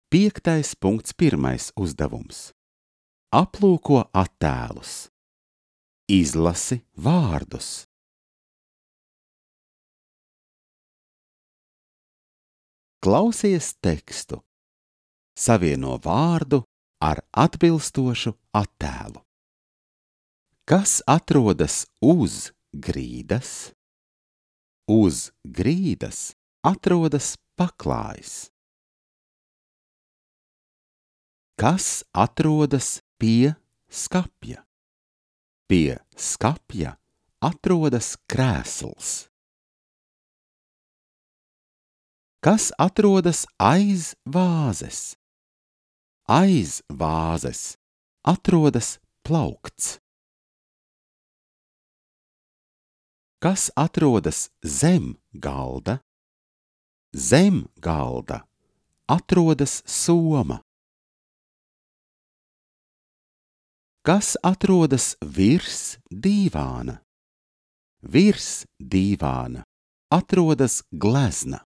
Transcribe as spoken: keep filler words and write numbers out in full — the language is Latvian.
Piektais punkts pirmais uzdevums. Aplūko attēlus. Izlasi vārdus. Klausies tekstu. Savieno vārdu ar atbilstošu attēlu. Kas atrodas uz grīdas? Uz grīdas atrodas paklājs. Kas atrodas pie skapja? Pie skapja atrodas krēsls. Kas atrodas aiz vāzes? Aiz vāzes atrodas plaukts. Kas atrodas zem galda? Zem galda atrodas soma. Kas atrodas virs dīvāna? Virs dīvāna atrodas glezna.